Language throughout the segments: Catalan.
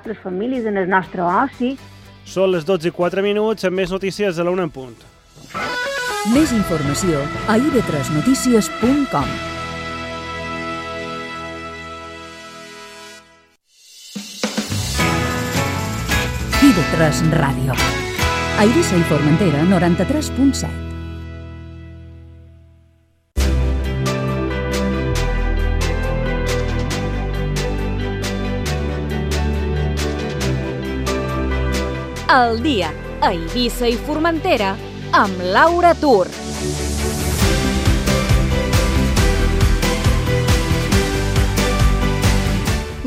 nostres famílies, en el nostre oci. Són les 12:04, amb més notícies a la 1 en punt. Més informació a ib3notícies.com. IB3 Ràdio. A Eivissa i Formentera, 93.7. El dia a Eivissa i Formentera amb Laura Tur.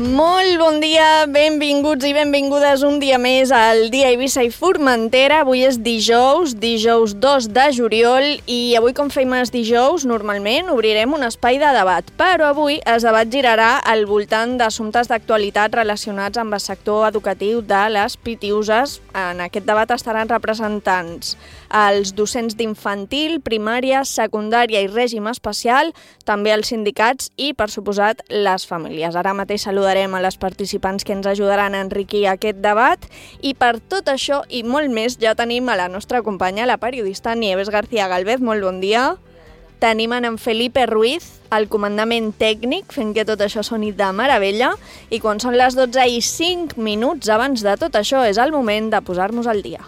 Molt bon dia, benvinguts i benvingudes un dia més al dia Eivissa i Formentera. Avui és dijous 2 de juliol i avui, com fem els dijous, normalment obrirem un espai de debat, però avui el debat girarà al voltant d'assumptes d'actualitat relacionats amb el sector educatiu de les Pitiuses. En aquest debat estaran representants els docents d'infantil, primària, secundària i règim especial, també els sindicats i, per suposat, les famílies. Ara mateix saludarem a les participants que ens ajudaran a enriquir aquest debat i per tot això i molt més ja tenim a la nostra companya, la periodista Nieves García Galvez. Molt bon dia. Tenim en Felipe Ruiz, al comandament tècnic, fent que tot això soni de meravella, i quan són les 12:05 abans de tot això és el moment de posar-nos al dia.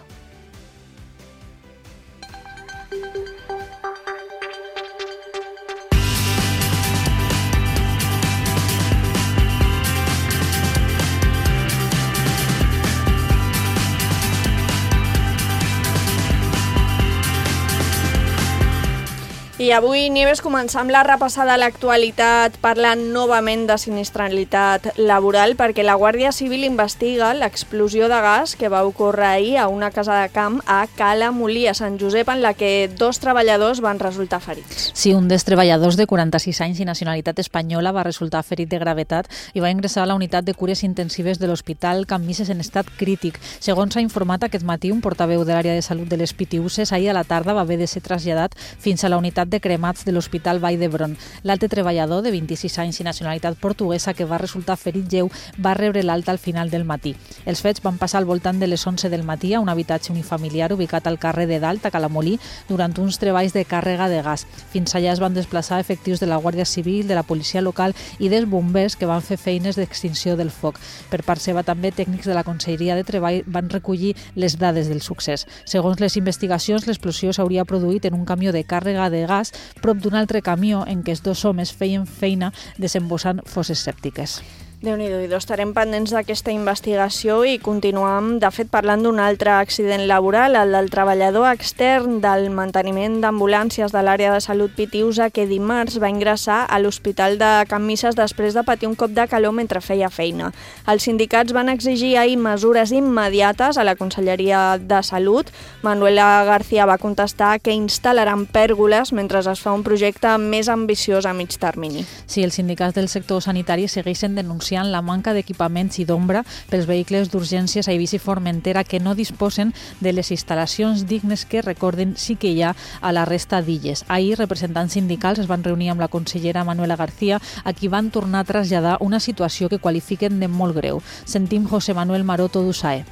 I avui, Nieves, començam la repassada a l'actualitat parlant novament de sinistralitat laboral perquè la Guàrdia Civil investiga l'explosió de gas que va ocórrer ahir a una casa de camp a Cala Molí, a Sant Josep, en la que 2 treballadors van resultar ferits. Sí, un dels treballadors de 46 anys i nacionalitat espanyola va resultar ferit de gravetat i va ingressar a la unitat de cures intensives de l'Hospital Can Misses en estat crític. Segons s'ha informat aquest matí, un portaveu de l'àrea de salut de les Pitiuses ahir a la tarda va haver de ser traslladat fins a la unitat de cremats de l'Hospital Vall d'Hebron. L'altre treballador, de 26 anys i nacionalitat portuguesa, que va resultar ferit lleu, va rebre l'alta al final del matí. Els fets van passar al voltant de les 11 del matí a un habitatge unifamiliar ubicat al carrer de Dalt, a Calamolí, durant uns treballs de càrrega de gas. Fins allà es van desplaçar efectius de la Guàrdia Civil, de la policia local i dels bombers que van fer feines d'extinció del foc. Per part seva, també, tècnics de la Conselleria de Treball van recollir les dades del succés. Segons les investigacions, l'explosió s'hauria produït en un camió de càrrega de gas prop d'un altre camió en què els 2 homes feien feina desembossant fosses sèptiques. Déu-n'hi-do, i estarem pendents d'aquesta investigació i continuam, de fet, parlant d'un altre accident laboral, el del treballador extern del manteniment d'ambulàncies de l'àrea de salut Pitiusa, que dimarts va ingressar a l'Hospital de Can Misses després de patir un cop de calor mentre feia feina. Els sindicats van exigir ahir mesures immediates a la Conselleria de Salut. Manuela García va contestar que instal·laran pèrgoles mentre es fa un projecte més ambiciós a mig termini. Sí, els sindicats del sector sanitari segueixen denunciant la manca d'equipaments i d'ombra pels vehicles d'urgències a Eivissa i Formentera que no disposen de les instal·lacions dignes que, recorden, sí que hi ha a la resta d'illes. Ahir, representants sindicals es van reunir amb la consellera Manuela García, a qui van tornar a traslladar una situació que qualifiquen de molt greu. Sentim José Manuel Maroto d'USAE.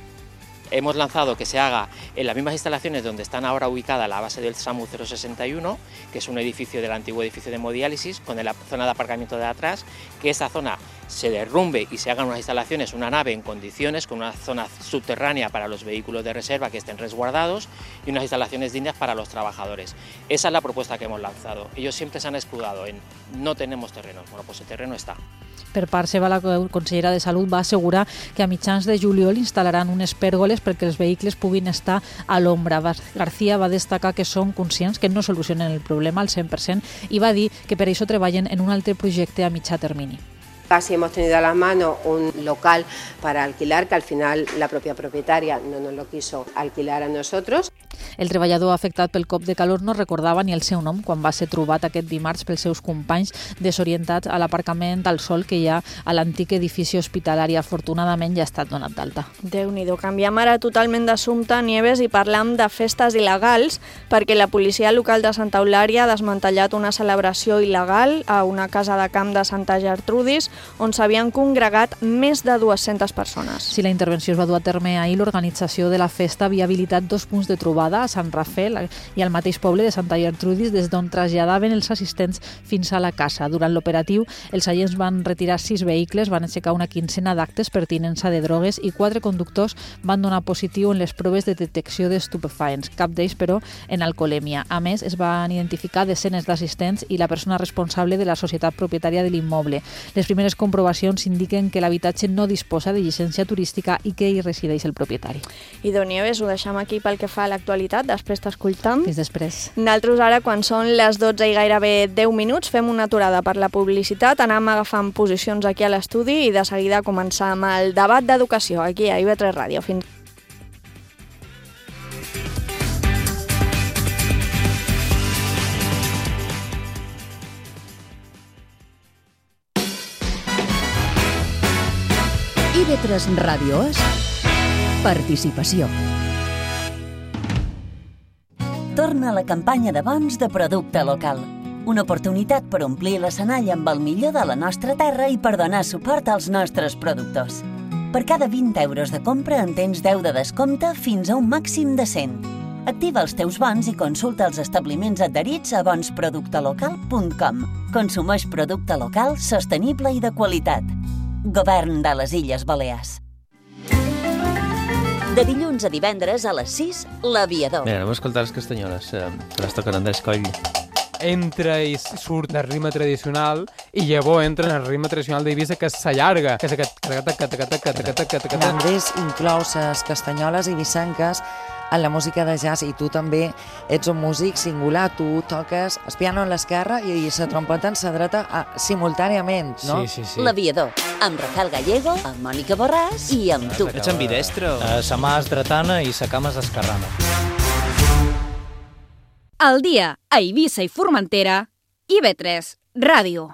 Hemos lanzado que se haga en las mismas instalaciones donde están ahora ubicada la base del SAMU 061, que es un edificio del antiguo edificio de hemodiálisis, con la zona de aparcamiento de atrás, que esa zona se derrumbe y se hagan unas instalaciones, una nave en condiciones, con una zona subterránea para los vehículos de reserva que estén resguardados y unas instalaciones dignas para los trabajadores. Esa es la propuesta que hemos lanzado. Ellos siempre se han escudado en no tenemos terrenos. Bueno, pues el terreno está. Per part seva, la consellera de Salut va assegurar que a mitjans de juliol instal·laran unes pèrgoles perquè els vehicles puguin estar a l'ombra. García va destacar que són conscients que no solucionen el problema al 100% i va dir que per això treballen en un altre projecte a mitjà termini. Casi hemos tenido a la mano un local para alquilar, que al final la propia propietaria no nos lo quiso alquilar a nosotros. El treballador afectat pel cop de calor no recordava ni el seu nom quan va ser trobat aquest dimarts pels seus companys desorientats a l'aparcament al sol que hi ha a l'antic edifici hospitalari. Afortunadament ja ha estat donat d'alta. Déu-n'hi-do. Canviem ara totalment d'assumpte, Nieves, i parlam de festes il·legals, perquè la policia local de Santa Eulària ha desmantellat una celebració il·legal a una casa de camp de Santa Gertrudis on s'havien congregat més de 200 persones. Si la intervenció es va dur a terme ahir, l'organització de la festa havia habilitat 2 punts de trobada a Sant Rafel i al mateix poble de Santa Gertrudis, des d'on traslladaven els assistents fins a la casa. Durant l'operatiu, els agents van retirar 6 vehicles, van aixecar una quincena d'actes per tinença de drogues i 4 conductors van donar positiu en les proves de detecció d'estupefaents, cap d'ells, però, en alcoholèmia. A més, es van identificar desenes d'assistents i la persona responsable de la societat propietària de l'immoble. Les primeres comprovacions indiquen que l'habitatge no disposa de llicència turística i que hi resideix el propietari. I Nieves, ho deixem aquí pel que fa a l'actualitat, després t'escoltam. Fins després. Nosaltres ara, quan són les 12 i gairebé 10 minuts, fem una aturada per la publicitat, anem agafant posicions aquí a l'estudi i de seguida començar amb el debat d'educació aquí a IB3 Ràdio. Fins IB3 Ràdio és participació. Torna la campanya de bons de producte local. Una oportunitat per omplir l'escenari amb el millor de la nostra terra i per donar suport als nostres productors. Per cada 20 euros de compra en tens 10 de descompte fins a un màxim de 100. Activa els teus bons i consulta els establiments adherits a bonsproductelocal.com. Consumeix producte local, sostenible i de qualitat. Govern de les Illes Balears. De dilluns a divendres a les 6, l'Aviador. Mira, anem a escoltar les castanyoles, que les toquen Andrés Coll. Entra i surt del ritme tradicional i llavors entra en el ritme tradicional d'Eivissa, que s'allarga, que és aquest... Andrés inclou les castanyoles eivissenques en la música de jazz i tu també ets un músic singular, tu toques el piano en l'esquerra i la trompeta en la dreta simultàniament, no? Sí. L'Aviador, amb Rafael Gallego, amb Mònica Borràs i amb tu. Ets ambidestro? Sa mà és dretana i sa cama és esquerrana. Al dia, a Eivissa i Formentera, IB3 Ràdio.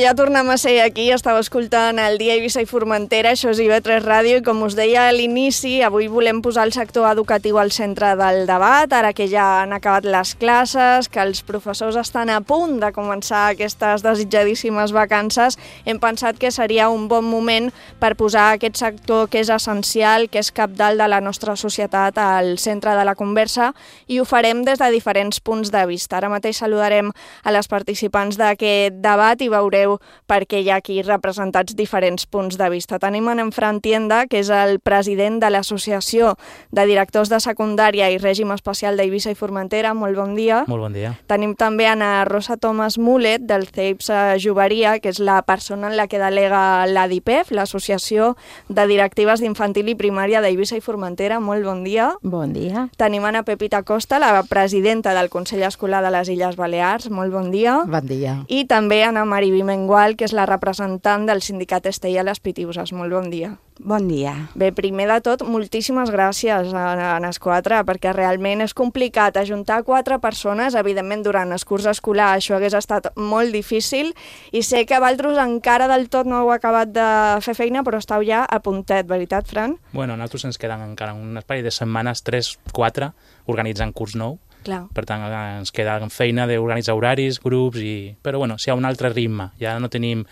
Ja tornem a ser aquí, estava escoltant el Dia Eivissa i Formentera, això és IB3 Ràdio, i com us deia a l'inici, avui volem posar el sector educatiu al centre del debat, ara que ja han acabat les classes, que els professors estan a punt de començar aquestes desitjadíssimes vacances, hem pensat que seria un bon moment per posar aquest sector que és essencial, que és cabdal de la nostra societat al centre de la conversa, i ho farem des de diferents punts de vista. Ara mateix saludarem a les participants d'aquest debat i veureu perquè hi ha aquí representats diferents punts de vista. Tenim en Fran Tienda, que és el president de l'Associació de Directors de Secundària i Règim Especial d'Eivissa i Formentera. Molt bon dia. Molt bon dia. Tenim també Ana Rosa Tomàs Mulet, del CEIPS Joveria, que és la persona en la que delega l'ADIPEF, l'Associació de Directives d'Infantil i Primària d'Eivissa i Formentera. Molt bon dia. Bon dia. Tenim Ana Pepita Costa, la presidenta del Consell Escolar de les Illes Balears. Molt bon dia. Bon dia. I també Ana Mariví Mengual, que és la representant del sindicat Estella Les Pitiuses. Molt bon dia. Bon dia. Bé, primer de tot, moltíssimes gràcies a les 4, perquè realment és complicat ajuntar 4 persones. Evidentment, durant el curs escolar això hagués estat molt difícil i sé que vosaltres encara del tot no heu acabat de fer feina, però esteu ja a puntet, veritat, Fran? Bueno, a nosaltres ens queden encara un espai de setmanes, 3-4, organitzant curs nou. Clar. Per tant, ens queda feina d'organitzar horaris, grups, però bueno, si hi ha un altre ritme, ja no tenim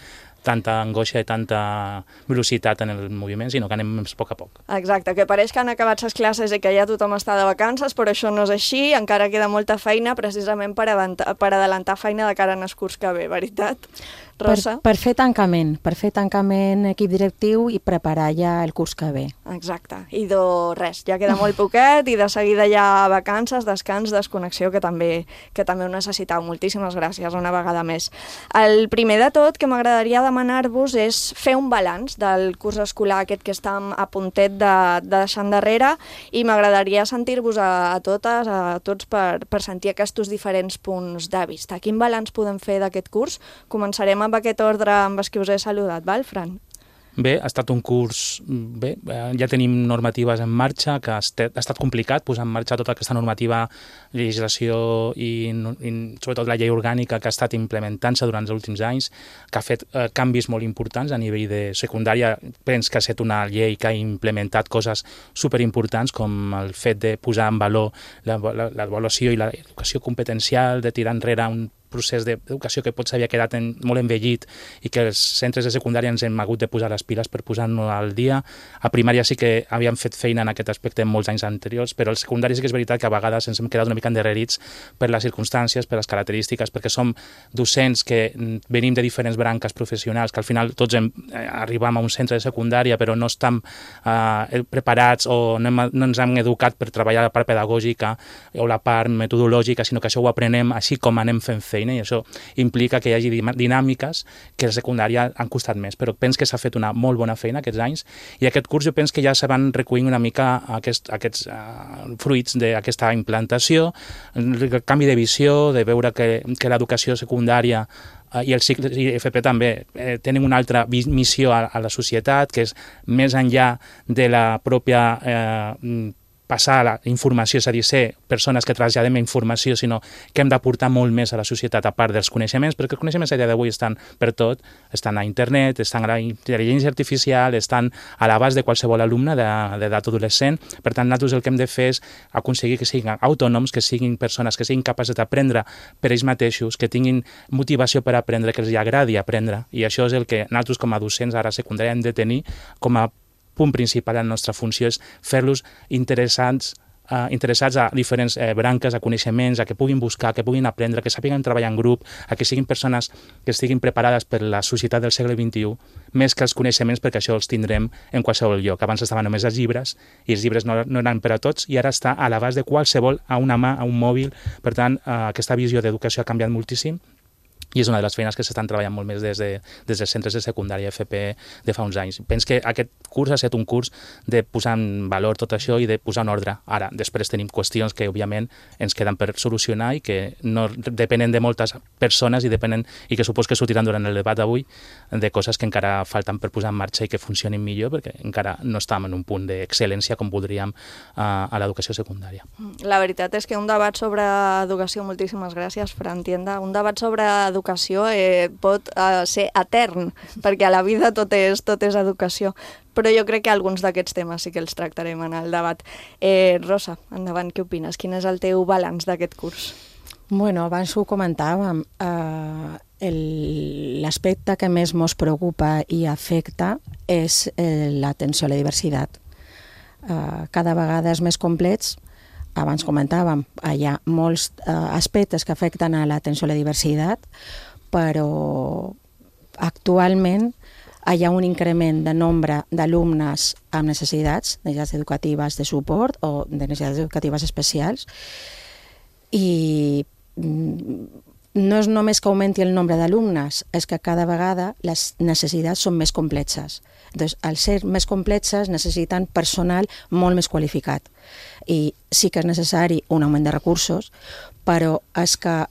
tanta angoixa i tanta velocitat en el moviment, sinó que anem a poc a poc. Exacte, que pareix que han acabat les classes i que ja tothom està de vacances, però això no és així, encara queda molta feina precisament per adelantar feina de cara al curs que ve, veritat? Rosa? Per fer tancament equip directiu i preparar ja el curs que ve. Exacte, i res, ja queda molt poquet i de seguida ja vacances, descans, desconnexió, que també ho necessitau. Moltíssimes gràcies una vegada més. El primer de tot que m'agradaria demanar-vos és fer un balanç del curs escolar aquest que estem a puntet de deixar endarrere i m'agradaria sentir-vos a totes, a tots per sentir aquests diferents punts de vista. Quin balanç podem fer d'aquest curs? Començarem amb aquest ordre amb els que us he saludat, val, Fran? Bé, ha estat un curs... Bé, ja tenim normatives en marxa, que ha estat complicat posar en marxa tota aquesta normativa, legislació i sobretot la llei orgànica que ha estat implementant-se durant els últims anys, que ha fet canvis molt importants a nivell de secundària. Penso que ha estat una llei que ha implementat coses superimportants com el fet de posar en valor l'avaluació i l'educació competencial, de tirar enrere un procés d'educació que potser havia quedat molt envellit i que els centres de secundària ens hem hagut de posar les piles per posar-nos al dia. A primària sí que havíem fet feina en aquest aspecte en molts anys anteriors, però al secundari sí que és veritat que a vegades ens hem quedat una mica endarrerits per les circumstàncies, per les característiques, perquè som docents que venim de diferents branques professionals, que al final tots arribam a un centre de secundària però no estem preparats o no ens hem educat per treballar la part pedagògica o la part metodològica, sinó que això ho aprenem així com anem fent feina, i això implica que hi hagi dinàmiques que a la secundària han costat més, però penso que s'ha fet una molt bona feina aquests anys i aquest curs jo penso que ja se van recollint una mica aquests fruits d'aquesta implantació, el canvi de visió, de veure que l'educació secundària i el cicle i FP també tenen una altra missió a la societat, que és més enllà de la pròpia passar la informació, és a dir, ser persones que traslladem informació, sinó que hem d'aportar molt més a la societat a part dels coneixements, perquè els coneixements a dia d'avui estan per tot, estan a internet, estan a la intel·ligència artificial, estan a l'abast de qualsevol alumne d'edat adolescent. Per tant, nosaltres el que hem de fer és aconseguir que siguin autònoms, que siguin persones que siguin capaces d'aprendre per ells mateixos, que tinguin motivació per aprendre, que els agradi aprendre, i això és el que nosaltres com a docents ara a secundària hem de tenir com a punt principal de la nostra funció, és fer-los interessats a diferents branques, a coneixements, a que puguin buscar, que puguin aprendre, que sàpiguen treballar en grup, a que siguin persones que estiguin preparades per la societat del segle XXI, més que els coneixements, perquè això els tindrem en qualsevol lloc. Abans estaven només els llibres, i els llibres no eren per a tots, i ara està a l'abast de qualsevol, a una mà, a un mòbil. Per tant, aquesta visió d'educació ha canviat moltíssim, i és una de les feines que s'estan treballant molt més des dels centres de secundària FP de fa uns anys. Penso que aquest curs ha estat un curs de posar en valor tot això i de posar en ordre. Ara, després tenim qüestions que, òbviament, ens queden per solucionar i que no depenen de moltes persones i que supos que sortiran durant el debat d'avui de coses que encara falten per posar en marxa i que funcionin millor, perquè encara no estem en un punt d'excel·lència com voldríem a l'educació secundària. La veritat és que un debat sobre educació, moltíssimes gràcies, Fran Tienda, un debat sobre educació pot ser etern, perquè a la vida tot és educació, però jo crec que alguns d'aquests temes sí que els tractarem en el debat. Rosa, endavant, què opines? Quin és el teu balanç d'aquest curs? Bueno, abans ho comentàvem, l'aspecte que més ens preocupa i afecta és l'atenció a la diversitat. Cada vegada és més complets. Abans comentàvem, hi ha molts aspectes que afecten a l'atenció a la diversitat, però actualment hi ha un increment de nombre d'alumnes amb necessitats educatives de suport o de necessitats educatives especials, i no és només que augmenti el nombre d'alumnes, és que cada vegada les necessitats són més complexes. Doncs, al ser més complexes, necessiten personal molt més qualificat. I sí que és necessari un augment de recursos, però és que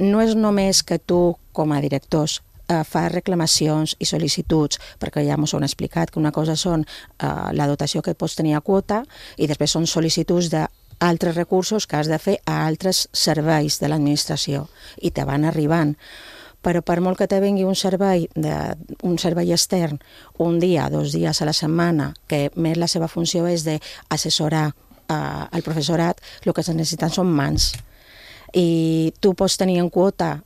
no és només que tu, com a directors, fas reclamacions i sol·licituds, perquè ja ens ho han explicat, que una cosa són la dotació que pots tenir a quota i després són sol·licituds d'altres recursos que has de fer a altres serveis de l'administració i te van arribant. Però per molt que te vengui un servei extern un dia, 2 dies a la setmana, que més la seva funció és d'assessorar al professorat, el que es necessiten són mans. I tu pots tenir en quota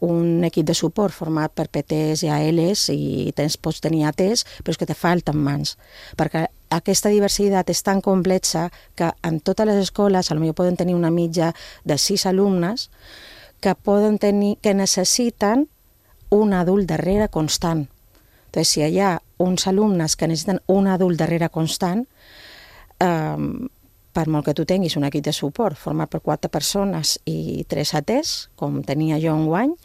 un equip de suport format per PTs i ALs i pots tenir ATs, però és que te falten mans, perquè aquesta diversitat és tan complexa que en totes les escoles potser poden tenir una mitja de 6 alumnes que necessiten un adult darrere constant. Entonces, si hi ha uns alumnes que necessiten un adult darrere constant, per molt que tu tinguis un equip de suport format per 4 persones i 3 ATs, com tenia jo enguany,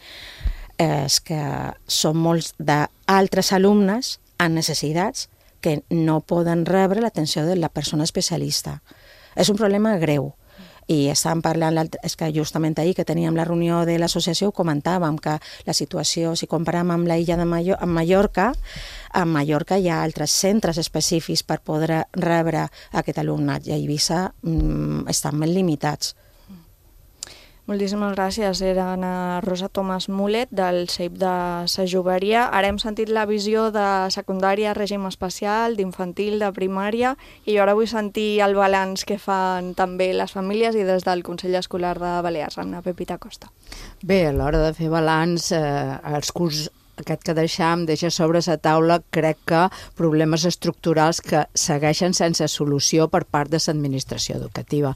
és que són molts d'altres alumnes amb necessitats que no poden rebre l'atenció de la persona especialista. És un problema greu. I estàvem parlant, és que justament ahir que teníem la reunió de l'associació ho comentàvem, que la situació, si comparem amb l'illa de Mallorca, a Mallorca hi ha altres centres específics per poder rebre aquest alumnat i a Eivissa estan ben limitats. Moltíssimes gràcies. Era Ana Rosa Tomàs Mulet, del CEIP de Sa Joveria. Ara hem sentit la visió de secundària, règim especial, d'infantil, de primària, i jo ara vull sentir el balanç que fan també les famílies i des del Consell Escolar de Balears, amb la Pepita Costa. Bé, a l'hora de fer balanç, els curs aquest que deixa sobre la taula, crec que problemes estructurals que segueixen sense solució per part de l'administració educativa.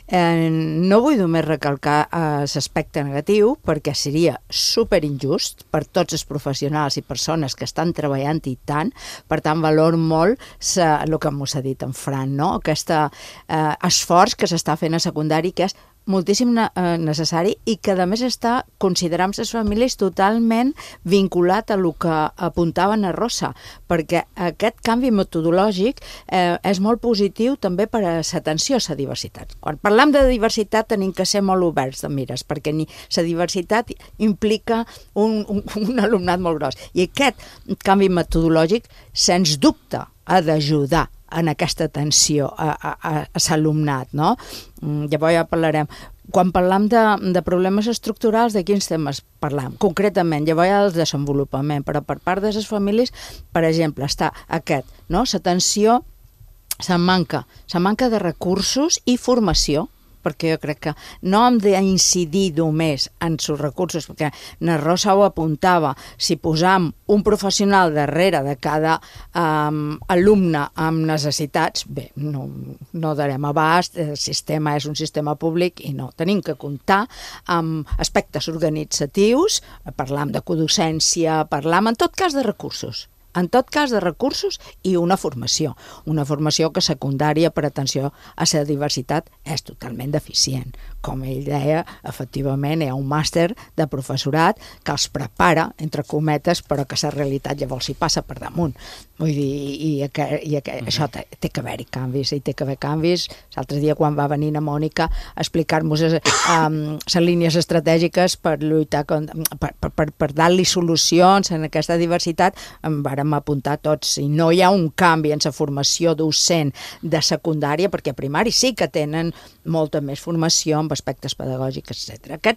No vull només recalcar l'aspecte negatiu, perquè seria superinjust per tots els professionals i persones que estan treballant i tant, per tant valor molt el que m'ho ha dit en Fran, no? Aquest esforç que s'està fent a secundari, que és moltíssim necessari i que a més està considerant les famílies totalment vinculat a el que apuntava Ana Rosa, perquè aquest canvi metodològic és molt positiu també per a l'atenció a la diversitat. Quan parlem de diversitat tenim que ser molt oberts de mires, perquè la diversitat implica un alumnat molt gros. I aquest canvi metodològic, sens dubte, ha d'ajudar en aquesta atenció a l'alumnat, no? Llavors ja parlarem. Quan parlem de problemes estructurals, de quins temes parlem? Concretament, llavors ja el desenvolupament, però per part de les famílies, per exemple, està aquest, no? L'atenció, la manca de recursos i formació, perquè jo crec que no hem d'incidir només en els recursos, perquè na Rosa ho apuntava, si posam un professional darrere de cada alumne amb necessitats, bé, no darem abast, el sistema és un sistema públic i no, tenim que comptar amb aspectes organitzatius, parlam de codocència, parlam en tot cas de recursos. En tot cas de recursos i una formació que secundària per atenció a la diversitat és totalment deficient. Com ell deia, efectivament hi ha un màster de professorat que els prepara, entre cometes, però que la realitat llavors s'hi passa per damunt. Vull dir, això té que haver-hi canvis, i té que haver canvis. L'altre dia quan va venir la Mònica a explicar-nos les línies estratègiques per lluitar, per dar-li solucions en aquesta diversitat, em vàrem apuntar tots. I no hi ha un canvi en la formació docent de secundària, perquè a primari sí que tenen molta més formació amb aspectes pedagògics, etc.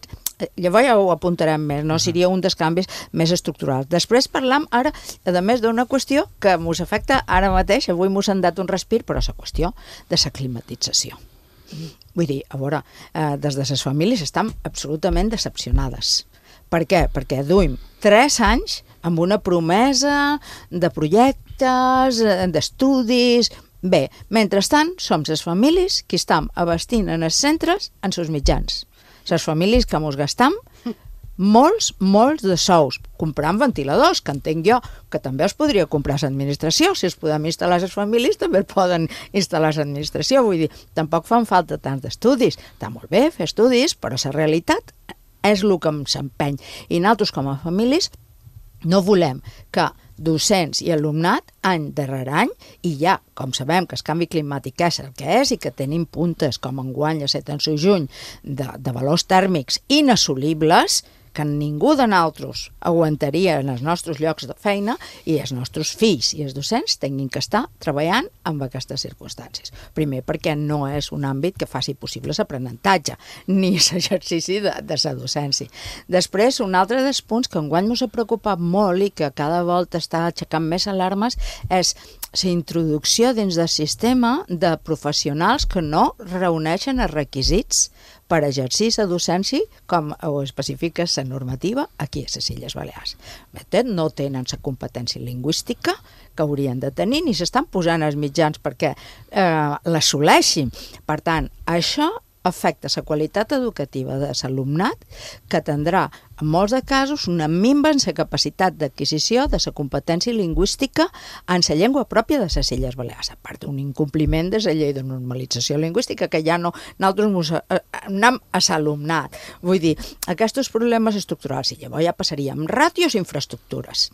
Llavors ja ho apuntarem més, no? Seria un dels canvis més estructurals. Després parlam ara, a més, d'una qüestió que mos afecta ara mateix, avui mos han dat un respir, però és la qüestió de la climatització. Vull dir, a veure, des de les famílies estan absolutament decepcionades. Per què? Perquè duim 3 anys amb una promesa de projectes, d'estudis. Bé, mentrestant, som les famílies que estan abastint en els centres en els mitjans. Les famílies que mos gastam molts de sous, comprant ventiladors, que entenc jo que també els podria comprar l'administració. Si els podem instal·lar les famílies, també poden instal·lar l'administració. Vull dir, tampoc fan falta tants d'estudis. Està molt bé fer estudis, però la realitat és el que em s'empeny. I nosaltres, com a famílies, no volem que docents i alumnat, any darrere any, i ja, com sabem que el canvi climàtic és el que és i que tenim puntes com enguany a setembre i juny de valors tèrmics inassolibles, que ningú de nosaltres aguantaria en els nostres llocs de feina, i els nostres fills i els docents tinguin que estar treballant amb aquestes circumstàncies. Primer, perquè no és un àmbit que faci possible l'aprenentatge, ni l'exercici de la docència. Després, un altre dels punts que enguany ens ha preocupat molt i que cada volta està aixecant més alarmes és la introducció dins del sistema de professionals que no reuneixen els requisits per exercir la docència com ho especifica la normativa aquí a les Illes Balears. No tenen la competència lingüística que haurien de tenir ni s'estan posant els mitjans perquè l'assoleixin. Per tant, això afecta la qualitat educativa de l'alumnat, que tindrà, en molts de casos, una minva en la capacitat d'adquisició de la competència lingüística en la llengua pròpia de les Illes Balears, a part d'un incompliment de la llei de normalització lingüística, que ja no, nosaltres anem a l'alumnat. Vull dir, aquests problemes estructurals, i llavors ja passaríem ràtios i infraestructures.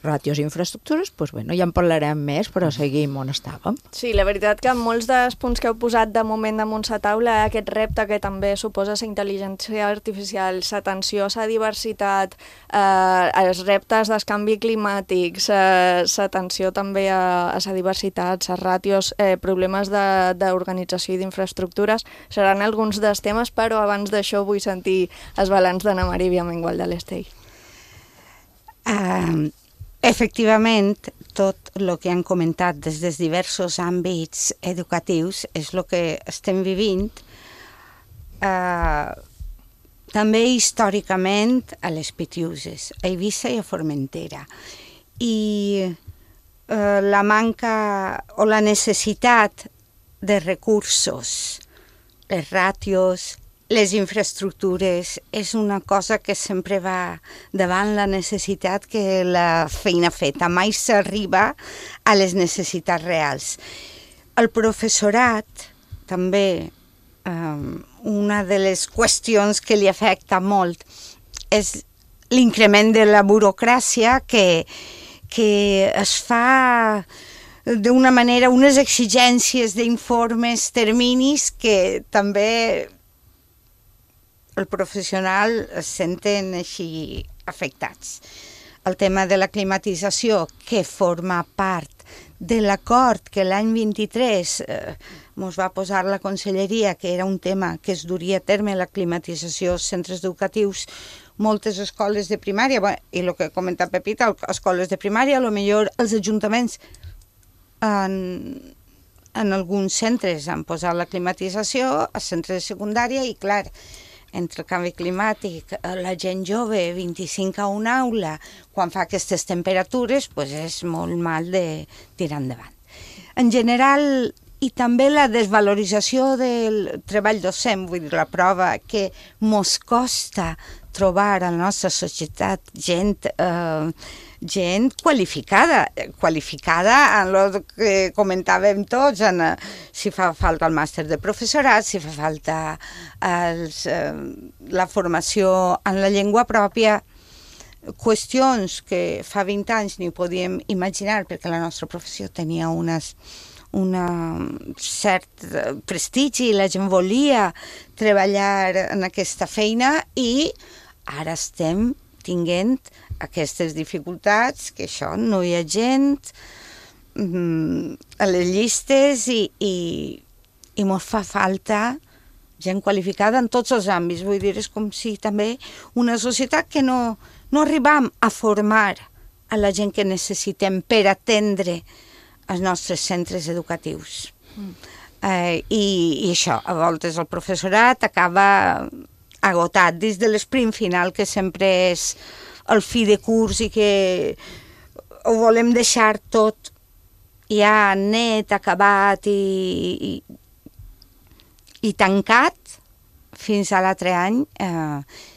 Ràtios i infraestructures, doncs ja en parlarem més, però seguim on estàvem. Sí, la veritat que molts dels punts que heu posat de moment damunt la taula, aquest repte que també suposa la intel·ligència artificial, l'atenció a la diversitat, els reptes del canvi climàtic, l'atenció també a la diversitat, les ràtios, problemes d'organització i d'infraestructures, seran alguns dels temes, però abans d'això vull sentir els balanç d'Anna Maria Viamengual de l'Estell. Efectivament, tot el que han comentat des dels diversos àmbits educatius és el que estem vivint també històricament a les Pitiuses, a Eivissa i a Formentera. I la manca o la necessitat de recursos, les ràtios, les infraestructures, és una cosa que sempre va davant la necessitat que la feina feta. Mai s'arriba a les necessitats reals. El professorat, també, una de les qüestions que li afecta molt és l'increment de la burocràcia que es fa d'una manera, unes exigències d'informes, terminis, que també el professional es senten així afectats. El tema de la climatització, que forma part de l'acord que l'any 23 ens va posar la conselleria, que era un tema que es duria a terme, la climatització als centres educatius, moltes escoles de primària, i el que ha comentat Pepita, escoles de primària, potser els ajuntaments en alguns centres han posat la climatització, als centres de secundària, i clar, entre el canvi climàtic, la gent jove, 25 a una aula, quan fa aquestes temperatures, és molt mal de tirar endavant. En general, i també la desvalorització del treball docent, vull dir, la prova que mos costa trobar a la nostra societat gent qualificada en el que comentàvem tots, si fa falta el màster de professorat, si fa falta la formació en la llengua pròpia, qüestions que fa 20 anys ni podíem imaginar, perquè la nostra professió tenia un cert prestigi, la gent volia treballar en aquesta feina, i ara estem tinguent aquestes dificultats, que això no hi ha gent a les llistes i ens fa falta gent qualificada en tots els àmbits. Vull dir, és com si també una societat que no arribam a formar a la gent que necessitem per atendre els nostres centres educatius. I això, a voltes el professorat acaba agotat dins de l'esprint final, que sempre és el fi de curs i que ho volem deixar tot ja net, acabat i tancat fins a l'altre any.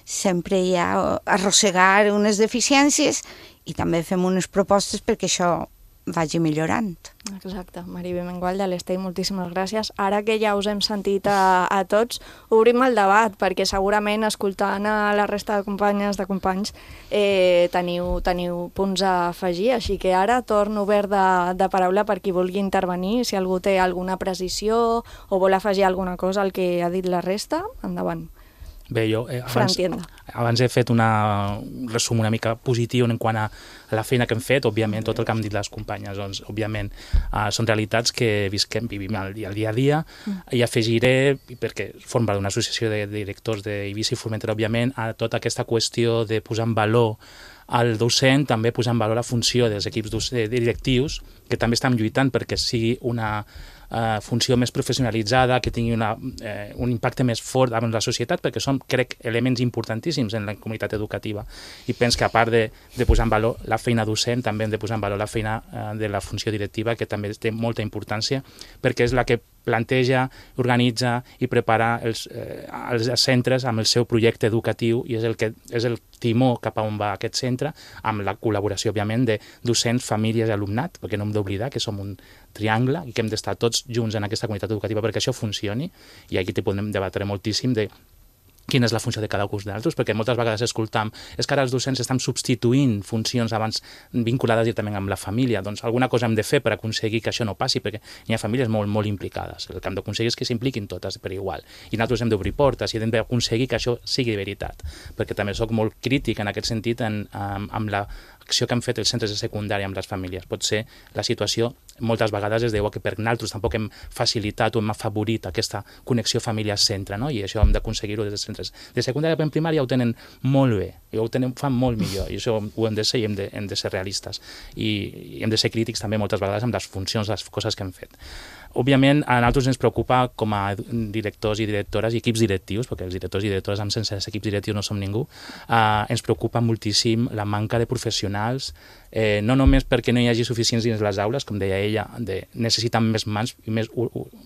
Sempre hi ha arrossegar unes deficiències i també fem unes propostes perquè això vagi millorant. Exacte. Maria Viamengual de l'Estell, moltíssimes gràcies. Ara que ja us hem sentit a tots, obrim el debat, perquè segurament escoltant a la resta de companyes, de companys, teniu punts a afegir, així que ara torno obert de paraula per qui vulgui intervenir. Si algú té alguna precisió o vol afegir alguna cosa al que ha dit la resta, endavant. Bé, jo abans he fet un resum una mica positiu en quant a la feina que hem fet. Òbviament, tot el que han dit les companyes, doncs, òbviament, són realitats que vivim al dia a dia. I afegiré, perquè formo part d'una associació de directors d'Eivissa i Formentera, òbviament, a tota aquesta qüestió de posar en valor al docent, també posar en valor la funció dels equips directius, que també estem lluitant perquè sigui una funció més professionalitzada, que tingui un impacte més fort en la societat, perquè són, crec, elements importantíssims en la comunitat educativa. I penso que a part de posar en valor la feina docent, també hem de posar en valor la feina de la funció directiva, que també té molta importància, perquè és la que planteja, organitza i prepara els centres amb el seu projecte educatiu i és el timó cap a on va aquest centre, amb la col·laboració, òbviament, de docents, famílies i alumnat, perquè no hem d'oblidar que som un triangle i que hem d'estar tots junts en aquesta comunitat educativa perquè això funcioni, i aquí podem debatre moltíssim de quina és la funció de cada un d'altres, perquè moltes vegades escoltam és que ara els docents estan substituint funcions abans vinculades directament amb la família. Doncs alguna cosa hem de fer per aconseguir que això no passi, perquè hi ha famílies molt, molt implicades. El que hem d'aconseguir és que s'impliquin totes per igual. I nosaltres hem d'obrir portes i hem d'aconseguir que això sigui veritat, perquè també soc molt crític en aquest sentit amb l'acció que han fet els centres de secundària amb les famílies. Pot ser la situació, moltes vegades es deu que per nosaltres tampoc hem facilitat o hem afavorit aquesta connexió família-centre, no? I això hem d'aconseguir-ho des dels centres de secundària. En primària ho tenen molt bé, i ho fan molt millor, i això ho hem de ser i hem de ser realistes. I hem de ser crítics també moltes vegades amb les funcions, les coses que hem fet. Òbviament, a nosaltres ens preocupa com a directors i directores i equips directius, perquè els directors i directores sense equips directius no som ningú, ens preocupa moltíssim la manca de professionals, no només perquè no hi hagi suficients dins les aules, com deia ella, necessiten més mans i més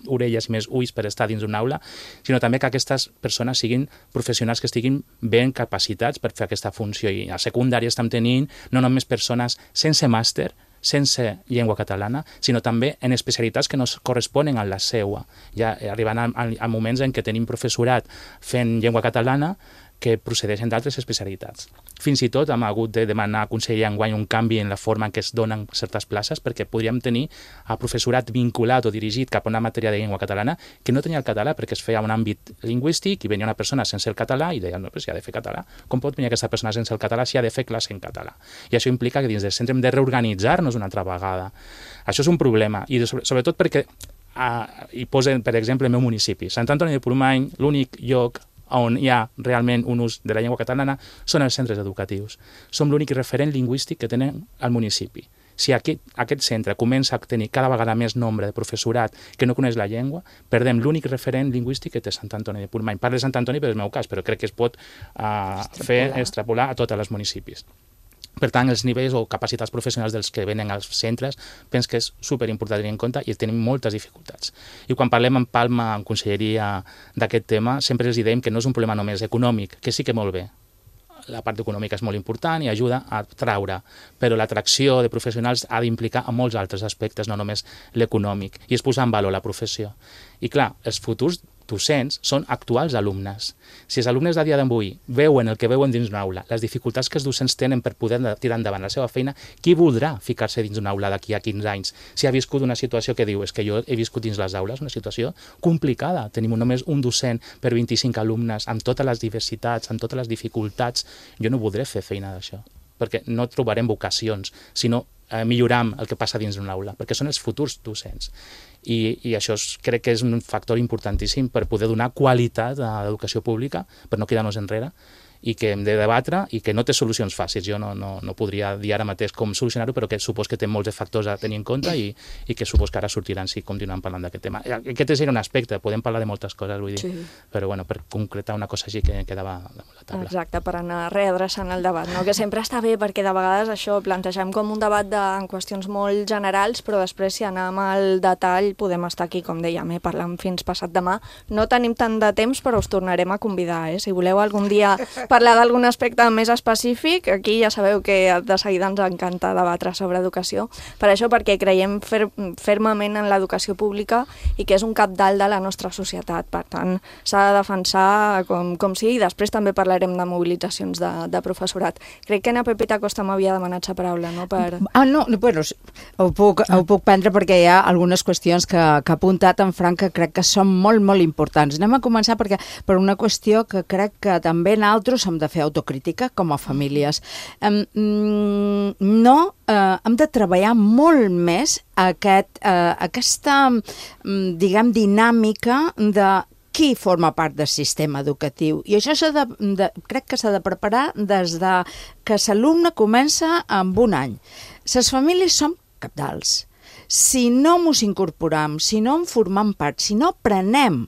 orelles i més ulls per estar dins d'una aula, sinó també que aquestes persones siguin professionals que estiguin ben capacitats per fer aquesta funció. I a secundària estem tenint no només persones sense màster, sense llengua catalana, sinó també en especialitats que no corresponen a la seua. Ja arribant a moments en què tenim professorat fent llengua catalana que procedeixen d'altres especialitats. Fins i tot hem hagut de demanar a Conselleria enguany un canvi en la forma en què es donen certes places, perquè podríem tenir a professorat vinculat o dirigit cap a una matèria de llengua catalana que no tenia el català perquè es feia un àmbit lingüístic i venia una persona sense el català i deia, no, però si ha de fer català, com pot venir aquesta persona sense el català si ha de fer classe en català? I això implica que dins del centre hem de reorganitzar-nos una altra vegada. Això és un problema, i sobretot perquè hi posen, per exemple, el meu municipi. Sant Antoni de Portmany, l'únic lloc on hi ha realment un ús de la llengua catalana són els centres educatius. Som l'únic referent lingüístic que tenen al municipi. Si aquest centre comença a tenir cada vegada més nombre de professorat que no coneix la llengua, perdem l'únic referent lingüístic que té Sant Antoni de Portmany. Parlo de Sant Antoni per el meu cas, però crec que es pot extrapolar a tots els municipis. Per tant, els nivells o capacitats professionals dels que venen als centres penso que és superimportant tenir en compte i tenim moltes dificultats. I quan parlem en Palma, en Conselleria, d'aquest tema, sempre els diem que no és un problema només econòmic, que sí que molt bé. La part econòmica és molt important i ajuda a traure, però l'atracció de professionals ha d'implicar a molts altres aspectes, no només l'econòmic, i és posar en valor la professió. I clar, els futurs docents són actuals alumnes. Si els alumnes de dia d'avui veuen el que veuen dins d'una aula, les dificultats que els docents tenen per poder tirar endavant la seva feina, qui voldrà ficar-se dins d'una aula d'aquí a 15 anys si ha viscut una situació que diu és que jo he viscut dins les aules, una situació complicada. Tenim només un docent per 25 alumnes amb totes les diversitats, amb totes les dificultats. Jo no voldré fer feina d'això, perquè no trobarem vocacions, sinó milloram el que passa dins d'una aula, perquè són els futurs docents. I això crec que és un factor importantíssim per poder donar qualitat a l'educació pública, per no quedar-nos enrere, i que hem de debatre i que no té solucions fàcils. Jo no podria dir ara mateix com solucionar-ho, però que supos que té molts de factors a tenir en compte i que supos que ara sortiran si continuem parlant d'aquest tema. Aquest és un aspecte, podem parlar de moltes coses, vull dir, sí. Però bueno, per concretar una cosa així que quedava damunt la taula. Exacte, per anar readreçant el debat, no? Que sempre està bé, perquè de vegades això plantegem com un debat en qüestions molt generals, però després si anem al detall podem estar aquí, com dèiem, parlant fins passat demà. No tenim tant de temps, però us tornarem a convidar, Si voleu algun dia parlar d'algun aspecte més específic, aquí ja sabeu que de seguida ens encanta debatre sobre educació. Per això, perquè creiem fermament en l'educació pública i que és un capdalt de la nostra societat. Per tant, s'ha de defensar com sigui, i després també parlarem de mobilitzacions de professorat. Crec que na Pepita Costa m'havia demanat la paraula, no? No, bueno, ho puc prendre perquè hi ha algunes qüestions que ha apuntat en Frank que crec que són molt, molt importants. Anem a començar per una qüestió que crec que també nosaltres hem de fer autocrítica com a famílies. Hem de treballar molt més aquesta, diguem, dinàmica de qui forma part del sistema educatiu. I això crec que s'ha de preparar des de que l'alumne comença amb un any. Les famílies són cabdals. si no mos incorporem, si no en formem part, si no aprenem,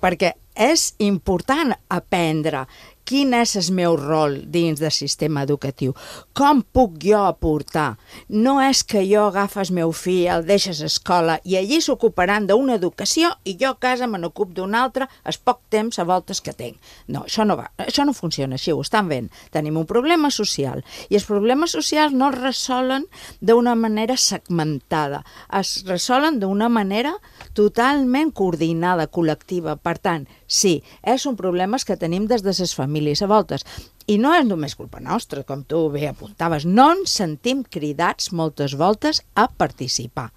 perquè és important aprendre quin és el meu rol dins del sistema educatiu, com puc jo aportar. No és que jo agafo el meu fill, el deixes a escola i allí s'ocuparan d'una educació i jo a casa me n'ocup d'una altra el poc temps a voltes que tinc. No, això no va, això no funciona així, ho estan veient. Tenim un problema social i els problemes socials no es resolen d'una manera segmentada, es resolen d'una manera totalment coordinada, col·lectiva. Per tant, sí, és un problema que tenim des de les famílies a voltes. I no és només culpa nostra, com tu bé apuntaves. No ens sentim cridats moltes voltes a participar.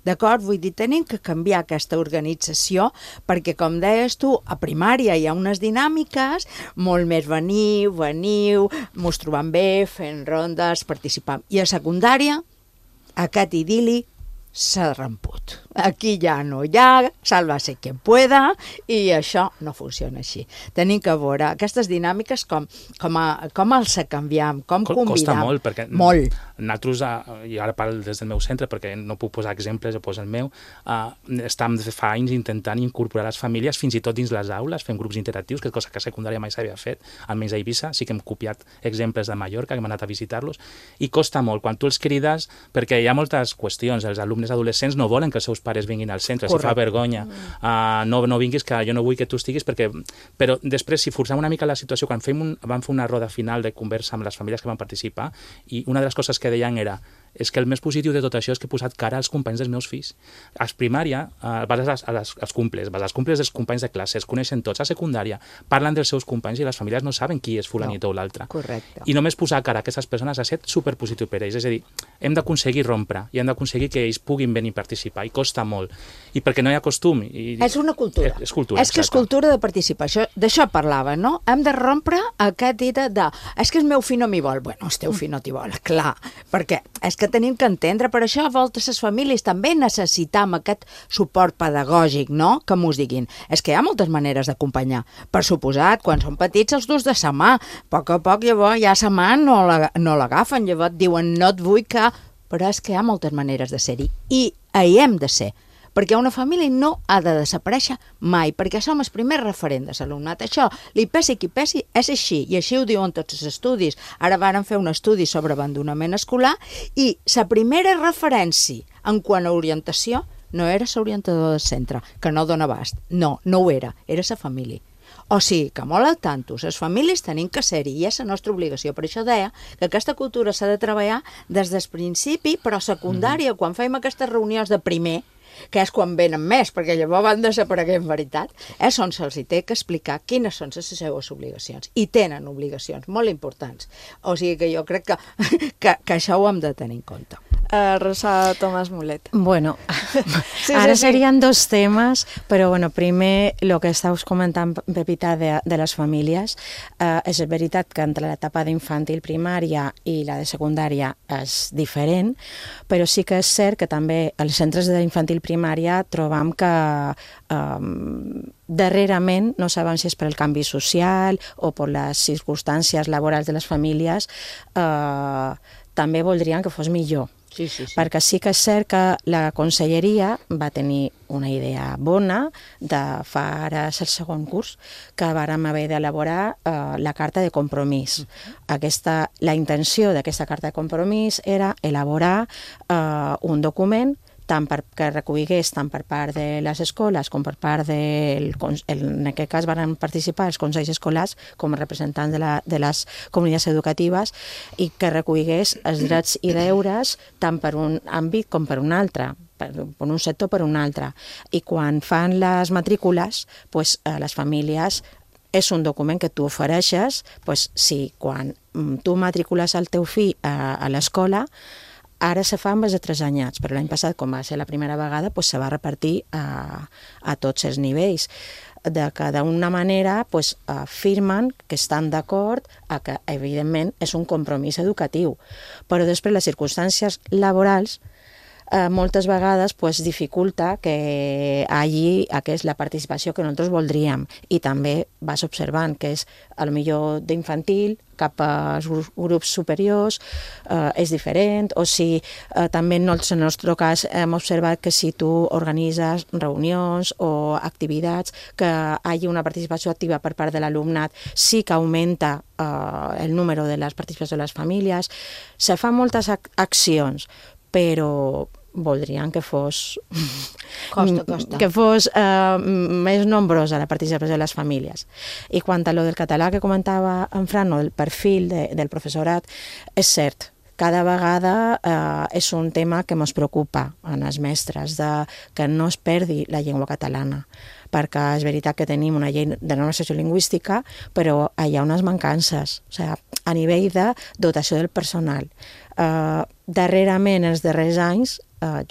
D'acord? Vull dir, tenim que canviar aquesta organització perquè, com deies tu, a primària hi ha unes dinàmiques molt més veniu, mos trobam bé, fent rondes, participant. I a secundària, aquest idili s'ha ramput. Aquí ja no hi ha, sálvase quien pueda, i això no funciona així. Tenim que veure aquestes dinàmiques com els canviem, com convidam. Costa molt, perquè molt. Nosaltres, i ara parlo des del meu centre, perquè no puc posar exemples, jo poso el meu, estem fa anys intentant incorporar les famílies fins i tot dins les aules, fem grups interactius, que és cosa que a secundària mai s'havia fet, almenys a Eivissa, sí que hem copiat exemples de Mallorca, que hem anat a visitar-los, i costa molt. Quan tu els crides, perquè hi ha moltes qüestions, els alumnes adolescents no volen que els seus pares vinguin al centre, correcte. Si fa vergonya, no vinguis, que jo no vull que tu estiguis, però després, si forcem una mica la situació, quan vam fer una roda final de conversa amb les famílies que van participar, i una de les coses que deien era és que el més positiu de tot això és que he posat cara als companys dels meus fills. A primària vas als cumples dels companys de classe, es coneixen tots. A secundària parlen dels seus companys i les famílies no saben qui és fulanito o l'altre. Correcte. I només posar cara a aquestes persones ha estat superpositiu per ells. És a dir, hem d'aconseguir rompre i hem d'aconseguir que ells puguin venir a participar, i costa molt. I perquè no hi ha costum. És una cultura. És cultura, és que és cultura de participar. D'això parlava, no? Hem de rompre aquest idea de és que el meu fill no m'hi vol. Bueno, el teu fill no t'hi vol, clar, perquè és que tenim que entendre, per això a voltes les famílies també necessitam aquest suport pedagògic, no? Que mos diguin. És que hi ha moltes maneres d'acompanyar. Per suposat, quan són petits els dus de sa mà. A poc llavors ja sa mà no l'agafen, llavors diuen no et vull que... Però és que hi ha moltes maneres de ser-hi. I hi hem de ser. Perquè una família no ha de desaparèixer mai, perquè som el primer referent de l'alumnat. Això, li pesi qui pesi, és així, i així ho diuen tots els estudis. Ara varen fer un estudi sobre abandonament escolar i la primera referència en quant a orientació no era l'orientador del centre, que no dona abast. No ho era la família. O sigui, que molt al tanto, les famílies tenim que ser-hi i és la nostra obligació. Per això deia que aquesta cultura s'ha de treballar des del principi, però a secundària, quan fem aquestes reunions de primer, que és quan venen més, perquè llavors van desapareguer en veritat, és on se'ls té que explicar quines són les seves obligacions. I tenen obligacions molt importants. O sigui que jo crec que això ho hem de tenir en compte. Rosa Tomàs Mulet. Bueno, ara serien dos temes, però bueno, primer el que estàs comentant, Pepita, de les famílies. És veritat que entre l'etapa d'infantil primària i la de secundària és diferent, però sí que és cert que també als centres d'infantil primària trobam que darrerament, no sabem si és per el canvi social o per les circumstàncies laborals de les famílies, també voldrien que fos millor. Sí. Perquè sí que és cert que la conselleria va tenir una idea bona de fa ara el segon curs, que vàrem haver d'elaborar la carta de compromís. La intenció d'aquesta carta de compromís era elaborar un document que recolligués tant per part de les escoles com per part en aquest cas van participar els consells escolars com a representants de les comunitats educatives, i que recolligués els drets i deures tant per un àmbit com per un altre, per un sector per un altre. I quan fan les matrícules, les famílies és un document que tu ofereixes, si quan tu matricules el teu fill a l'escola, ara se fa amb els de 3 anyats, però l'any passat, com va ser la primera vegada, se va repartir a tots els nivells. Que d'una manera afirmen que estan d'acord a que, evidentment, és un compromís educatiu. Però després les circumstàncies laborals moltes vegades pues, dificulta que hagi la participació que nosaltres voldríem. I també vas observant que és, potser d'infantil cap als grups superiors és diferent, o si també en el nostre cas hem observat que si tu organitzes reunions o activitats que hi hagi una participació activa per part de l'alumnat, sí que augmenta el número de les participacions de les famílies. Se fan moltes accions, però voldrien que fos que fos més nombrosa la participació de les famílies. I quant a lo del català que comentava en Fran, o el perfil del professorat, és cert, cada vegada és un tema que ens preocupa en els mestres, que no es perdi la llengua catalana, perquè és veritat que tenim una llei de norma sociolingüística, però hi ha unes mancances, o sigui, a nivell de dotació del personal. Darrerament, els darrers anys,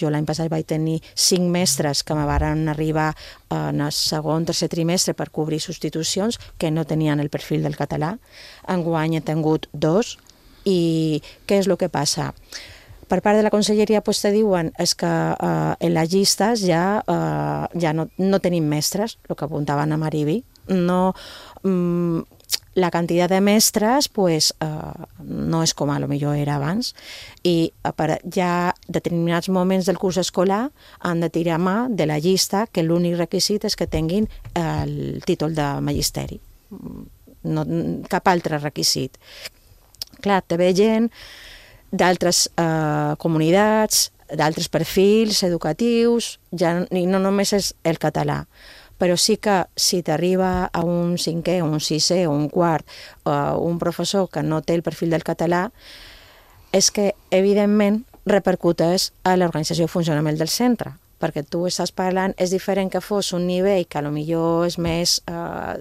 jo l'any passat vaig tenir 5 mestres que me van arribar en el segon, tercer trimestre per cobrir substitucions que no tenien el perfil del català. Enguany he tingut 2, i què és el que passa? Per part de la conselleria te diuen és que en les llistes ja no tenim mestres, el que apuntaven a Maribi. La quantitat de mestres no és com a lo millor era abans, i ja determinats moments del curs escolar han de tirar mà de la llista, que l'únic requisit és que tinguin el títol de magisteri, cap altre requisit. Clar, te ve gent d'altres comunitats, d'altres perfils educatius, i no només és el català, però sí que si t'arriba a un 5è, un 6è o un 4, un professor que no té el perfil del català, és que, evidentment, repercuteix a l'organització i funcionament del centre, perquè tu estàs parlant, és diferent que fos un nivell que potser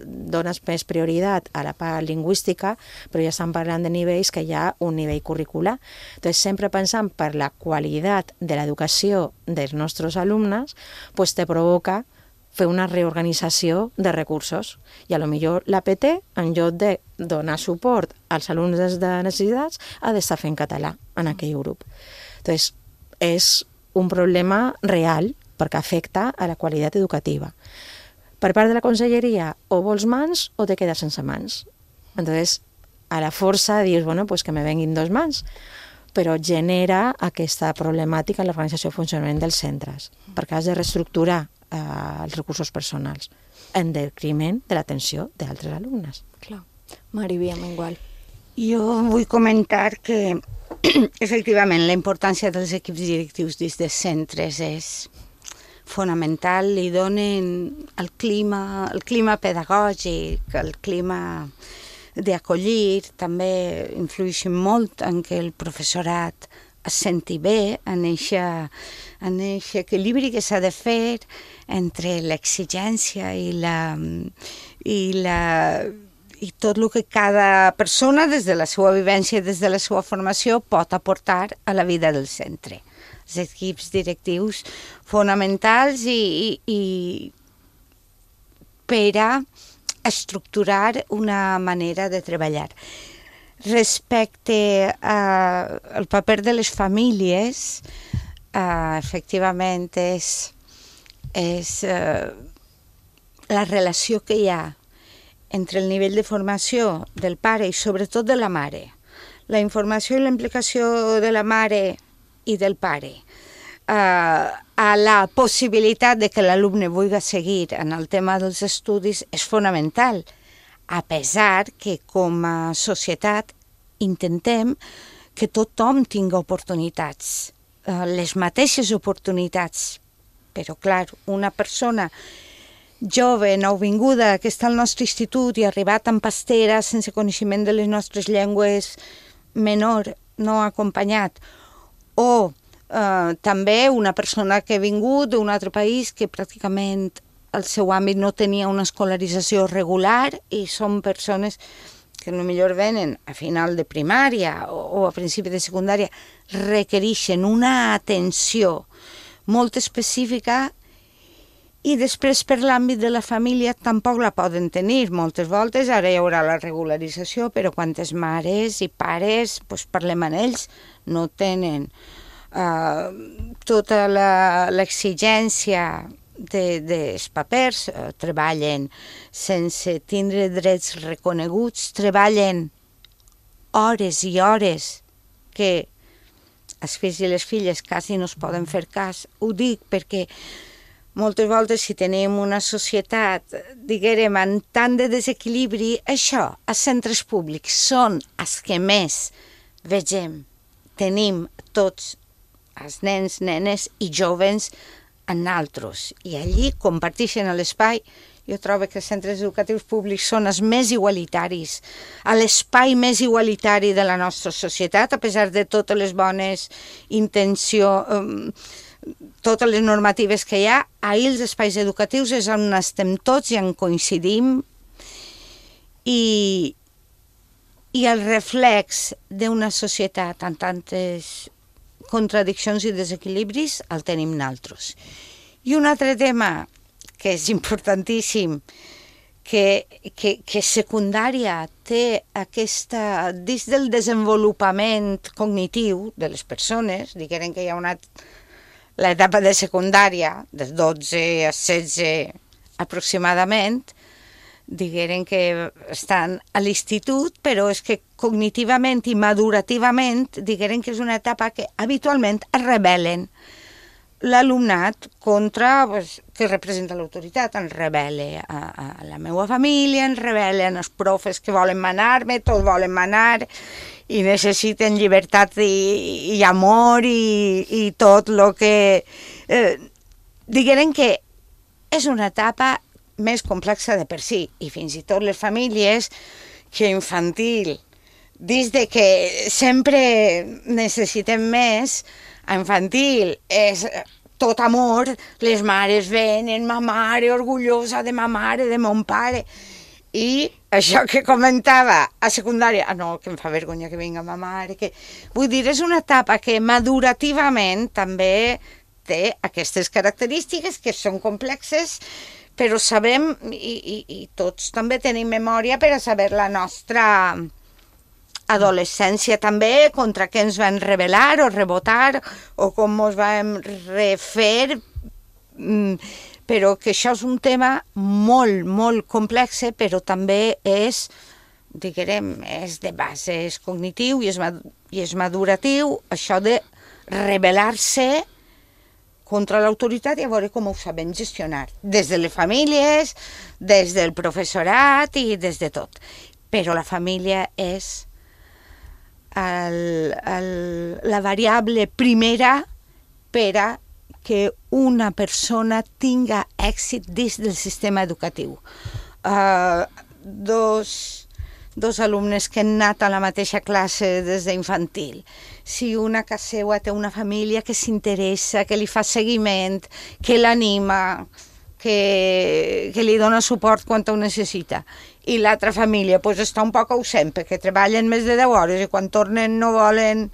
dones més prioritat a la part lingüística, però ja estan parlant de nivells que hi ha un nivell curricular. Entonces, sempre pensant per la qualitat de l'educació dels nostres alumnes, te provoca fer una reorganització de recursos. I potser l'APT, en lloc de donar suport als alumnes de necessitats, ha d'estar fent català en aquell grup. Entonces, és un problema real perquè afecta a la qualitat educativa. Per part de la conselleria, o vols mans o te quedes sense mans. Entonces, a la força dius, que me venguin 2 mans, però genera aquesta problemàtica en l'organització i funcionament dels centres, perquè has de reestructurar els recursos personals en detriment de l'atenció d'altres alumnes. Clar. Maribi, igual. Jo vull comentar que efectivament la importància dels equips directius dins dels centres és fonamental, li donen el clima pedagògic, el clima d'acollir, també influeixen molt en què el professorat es senti bé, en aquest equilibri que s'ha de fer entre l'exigència i tot el que cada persona, des de la seva vivència, des de la seva formació, pot aportar a la vida del centre. Els equips directius fonamentals i per a estructurar una manera de treballar. Respecte al paper de les famílies, efectivament és la relació que hi ha entre el nivell de formació del pare i sobretot de la mare, la informació i la implicació de la mare i del pare, a la possibilitat de que l'alumne vulgui seguir en el tema dels estudis és fonamental, a pesar que com a societat intentem que tothom tingui oportunitats, les mateixes oportunitats, però clar, una persona jove, nouvinguda, que està al nostre institut i ha arribat amb pastera, sense coneixement de les nostres llengües, menor, no acompanyat, o també una persona que ha vingut d'un altre país que pràcticament el seu àmbit no tenia una escolarització regular i són persones que potser venen a final de primària o a principi de secundària, requereixen una atenció molt específica i després per l'àmbit de la família tampoc la poden tenir. Moltes voltes ara hi haurà la regularització, però quantes mares i pares, parlem amb ells, no tenen tota l'exigència dels papers, treballen sense tindre drets reconeguts, treballen hores i hores que els fills i les filles quasi no es poden fer cas. Ho dic perquè moltes voltes si tenim una societat, diguem, amb tant de desequilibri, això, els centres públics són els que més vegem, tenim tots els nens, nenes i joves en altres. I allí comparteixen l'espai. Jo trobo que els centres educatius públics són els més igualitaris, l'espai més igualitari de la nostra societat, a pesar de totes les bones intencions, totes les normatives que hi ha. Ahir els espais educatius és on estem tots i on coincidim. I el reflex d'una societat amb tantes contradiccions i desequilibris el tenim nosaltres. I un altre tema que és importantíssim, que secundària té aquesta, dins del desenvolupament cognitiu de les persones, diguem que hi ha l'etapa de secundària, dels 12 als 16 aproximadament, diguem que estan a l'institut, però és que cognitivament i madurativament, diguem que és una etapa que habitualment es rebel·len. L'alumnat contra, que representa l'autoritat, ens rebel·la a la meva família, ens rebel·len els profes que volen manar-me, tots volen manar i necessiten llibertat i amor i tot el que... Diguem que és una etapa més complexa de per si, i fins i tot les famílies que infantil, des de que sempre necessitem més, a infantil és tot amor, les mares venen, ma mare orgullosa de ma mare, de mon pare, i això que comentava a secundària, no, que em fa vergonya que vinga ma mare, que... Vull dir, és una etapa que madurativament també té aquestes característiques que són complexes, però sabem, i tots també tenim memòria per a saber la nostra adolescència també, contra què ens van rebel·lar o rebotar, o com ens vam refer, però que això és un tema molt, molt complex, però també és, diguem, és de bases cognitiu i és maduratiu, això de rebel·lar-se contra l'autoritat i a veure com ho sabem gestionar, des de les famílies, des del professorat i des de tot. Però la família és la variable primera per a que una persona tinga èxit dins del sistema educatiu. Dos alumnes que han anat a la mateixa classe des d'infantil. Si una a casa seva té una família que s'interessa, que li fa seguiment, que l'anima, que li dona suport quan ho necessita, i l'altra família està un poc ausent perquè treballen més de 10 hores i quan tornen no volen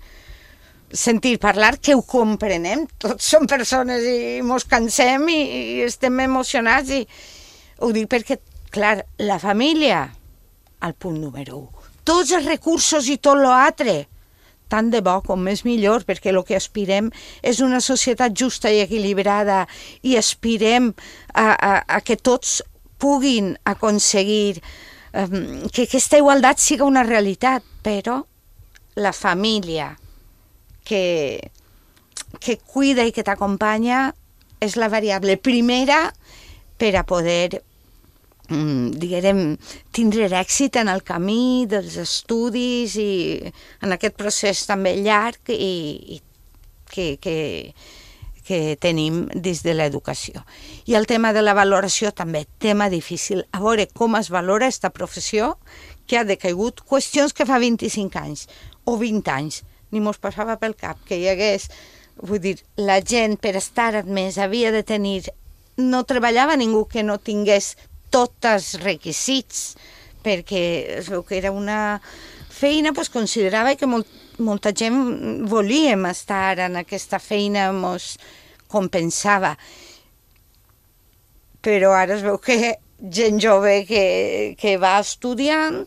sentir parlar, que ho comprenem, tots som persones i mos cansem i estem emocionats, i ho dic perquè, clar, la família, al punt número 1, tots els recursos i tot l'altre, tant de bo com més millor, perquè el que aspirem és una societat justa i equilibrada i aspirem a que tots puguin aconseguir que aquesta igualtat siga una realitat, però la família que cuida i que t'acompanya és la variable primera per a poder, diguem, tindre èxit en el camí dels estudis i en aquest procés també llarg i que tenim dins de l'educació. I el tema de la valoració també, tema difícil. A veure com es valora aquesta professió que ha decaigut, qüestions que fa 25 anys o 20 anys ni mos passava pel cap que hi hagués, vull dir, la gent per estar admès havia de tenir, no treballava ningú que no tingués tots els requisits, perquè es veu que era una feina, considerava que molta gent volíem estar en aquesta feina, mos compensava. Però ara es veu que gent jove que va estudiant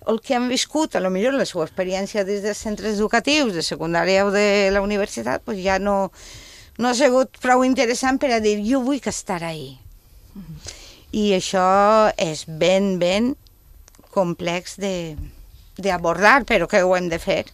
el que han viscut, a lo millor la seva experiència des dels centres educatius, de secundària o de la universitat, pues ja no ha sigut prou interessant per a dir jo vull estar ahí. I això és ben complex d'abordar, però que ho hem de fer.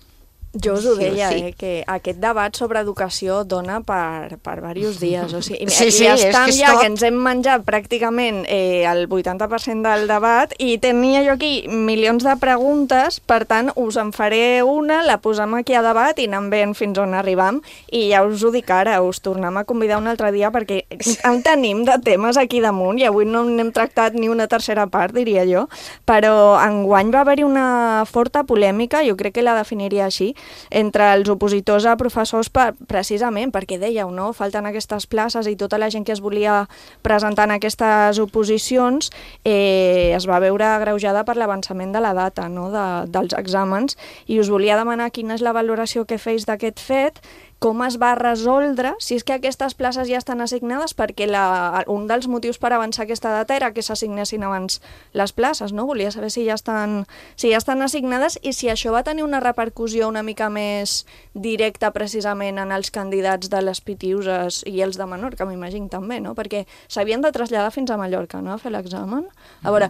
Jo us ho deia, que aquest debat sobre educació dona per diversos dies. O sigui, i estem ja que ens hem menjat pràcticament el 80% del debat i tenia jo aquí milions de preguntes, per tant, us en faré una, la posem aquí a debat i anem veient fins on arribam. I ja us ho dic ara, us tornem a convidar un altre dia perquè en tenim de temes aquí damunt i avui no n'hem tractat ni una tercera part, diria jo, però enguany va haver-hi una forta polèmica, jo crec que la definiria així, entre els opositors a professors precisament perquè dèieu, no? Falten aquestes places i tota la gent que es volia presentar en aquestes oposicions es va veure agreujada per l'avançament de la data, no? dels exàmens, i us volia demanar quina és la valoració que feis d'aquest fet, com es va resoldre, si és que aquestes places ja estan assignades, perquè un dels motius per avançar aquesta data era que s'assignessin abans les places, no? Volia saber si ja estan assignades i si això va tenir una repercussió una mica més directa precisament en els candidats de les Pitiuses i els de Menorca, m'imagino també, no? Perquè s'havien de traslladar fins a Mallorca, no?, a fer l'examen. A veure,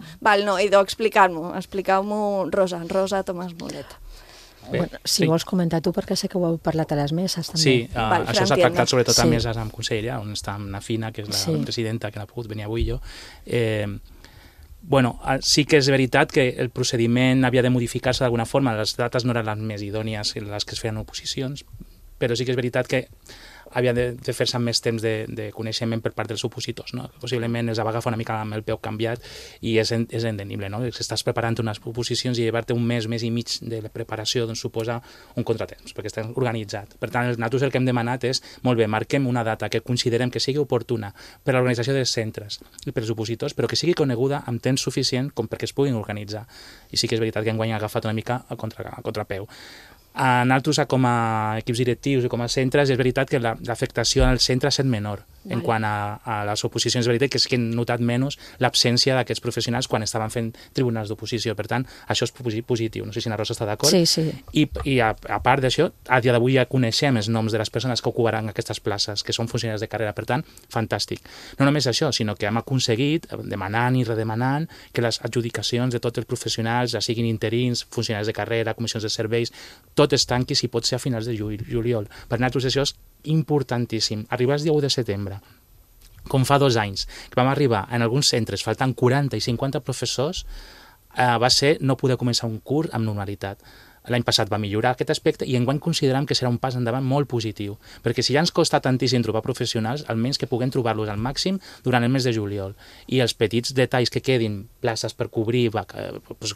idò, expliqueu-m'ho, Rosa Tomàs Moret. Bueno, si vols comentar tu, perquè sé que ho heu parlat a les meses també. Sí, això s'ha tractat sobretot a meses amb Consellera, on està na Fina, que és la presidenta, que no ha pogut venir avui jo. Bueno, sí que és veritat que el procediment havia de modificar-se d'alguna forma, les dates no eren les més idònies les que es feien oposicions, però sí que és veritat que havia de fer-se amb més temps de coneixement per part dels opositors, no? Possiblement els va agafar una mica amb el peu canviat i és entendible, no? Si estàs preparant unes oposicions i llevar-te un mes i mig de la preparació, doncs suposa un contratemps, perquè està organitzat. Per tant, nosaltres el que hem demanat és, molt bé, marquem una data que considerem que sigui oportuna per a l'organització dels centres i per als opositors, però que sigui coneguda amb temps suficient com perquè es puguin organitzar. I sí que és veritat que enguany ha agafat una mica a contrapeu. A nosaltres, com a equips directius i com a centres, és veritat que l'afectació al centre ha estat menor. En quant a les oposicions, és veritat que és que hem notat menys l'absència d'aquests professionals quan estaven fent tribunals d'oposició. Per tant, això és positiu. No sé si la Rosa està d'acord. Sí. I a part d'això, a dia d'avui ja coneixem els noms de les persones que ocuparan aquestes places, que són funcionaris de carrera. Per tant, fantàstic. No només això, sinó que hem aconseguit, demanant i redemanant, que les adjudicacions de tots els professionals, ja siguin interins, funcionaris de carrera, comissions de serveis, tot es tanqui si pot ser a finals de juliol. Per nosaltres això és importantíssim. Arribar el dia 1 de setembre, com fa 2 anys, que vam arribar en alguns centres faltant 40 i 50 professors, va ser no poder començar un curs amb normalitat. L'any passat va millorar aquest aspecte i enguany considerem que serà un pas endavant molt positiu, perquè si ja ens costa tantíssim trobar professionals, almenys que puguem trobar-los al màxim durant el mes de juliol. I els petits detalls que quedin, places per cobrir,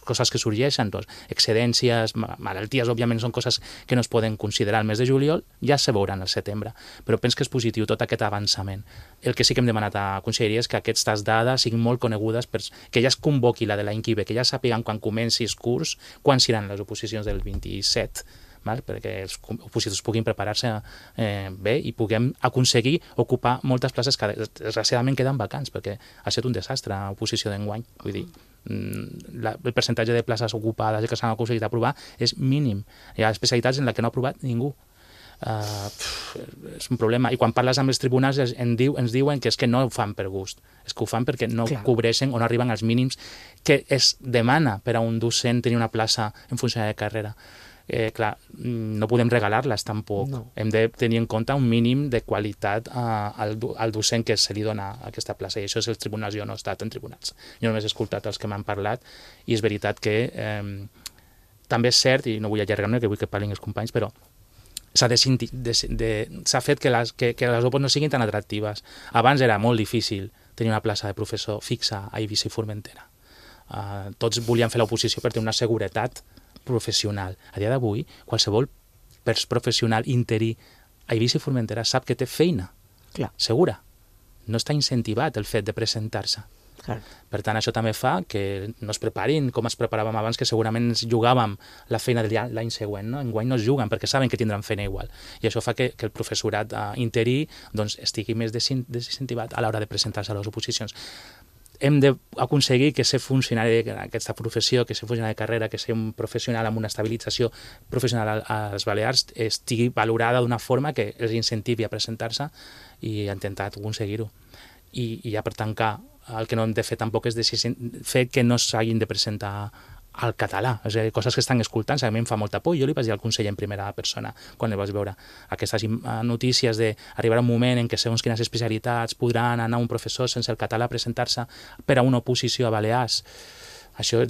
coses que sorgeixen, excedències, malalties, òbviament són coses que no es poden considerar al mes de juliol, ja se veuran al setembre. Però penso que és positiu tot aquest avançament. El que sí que hem demanat a Conselleria és que aquestes dades siguin molt conegudes, que ja es convoqui la de l'any que ve, que ja sàpiguen quan comenci el curs, quan seran les oposicions del 27, perquè els opositors puguin preparar-se bé i puguem aconseguir ocupar moltes places que desgraciadament queden vacants, perquè ha estat un desastre l'oposició d'enguany. Vull dir, el percentatge de places ocupades que s'han aconseguit aprovar és mínim. Hi ha especialitats en les que no ha aprovat ningú. És un problema. I quan parles amb els tribunals ens diuen que és que no ho fan per gust, és que ho fan perquè no cobreixen o no arriben als mínims que es demana per a un docent tenir una plaça en funció de carrera. Clar, no podem regalar-les tampoc. Hem de tenir en compte un mínim de qualitat al docent que se li dona aquesta plaça, i això és els tribunals. Jo no he estat en tribunals, jo només he escoltat els que m'han parlat, i és veritat que també és cert, i no vull allargar-me, que vull que parlin els companys, però s'ha fet que les opos no siguin tan atractives. Abans era molt difícil tenir una plaça de professor fixa a Eivissa i Formentera. Tots volien fer l'oposició per tenir una seguretat professional. A dia d'avui, qualsevol professional interí a Eivissa i Formentera sap que té feina segura. No està incentivat el fet de presentar-se. Per tant, això també fa que no es preparin com es preparàvem abans, que segurament ens jugàvem la feina de l'any següent. Enguany no es juguen perquè saben que tindran feina igual. I això fa que el professorat interí estigui més desincentivat a l'hora de presentar-se a les oposicions. hem d'aconseguir que ser funcionari d'aquesta professió, que ser funcionari de carrera, que ser un professional amb una estabilització professional a les Balears estigui valorada d'una forma que els incentivi a presentar-se i a intentar aconseguir-ho. I ja per tancar, el que no hem de fer tampoc és fer que no s'hagin de presentar al català, és a dir, coses que estan escoltant, a mi em fa molta por. Jo li vaig dir al conseller en primera persona quan el vaig veure aquestes notícies d'arribar un moment en què segons quines especialitats podran anar un professor sense el català a presentar-se per a una oposició a Balears. Això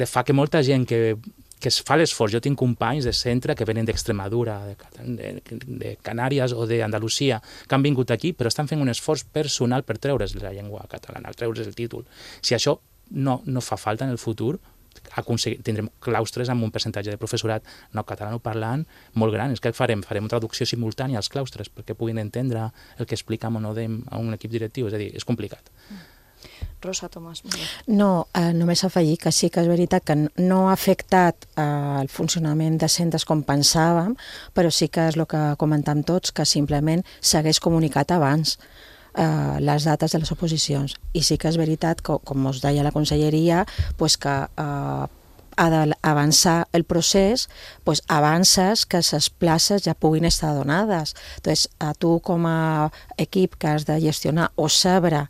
fa que molta gent que es fa l'esforç, jo tinc companys de centre que venen d'Extremadura, de Canàries o d'Andalusia, que han vingut aquí però estan fent un esforç personal per treure's la llengua catalana, treure's el títol. Si això no fa falta en el futur, tindrem claustres amb un percentatge de professorat no catalanoparlant molt gran. És que farem traducció simultània als claustres perquè puguin entendre el que expliquem o no a un equip directiu. És a dir, és complicat. Rosa Tomàs. No, només afegir que sí que és veritat que no ha afectat el funcionament de centres com pensàvem, però sí que és el que comentàvem tots, que simplement s'hagués comunicat abans les dates de les oposicions. I sí que és veritat, com us deia la conselleria, que ha d'avançar el procés, avances que les places ja puguin estar donades. Entonces, a tu com a equip que has de gestionar o saber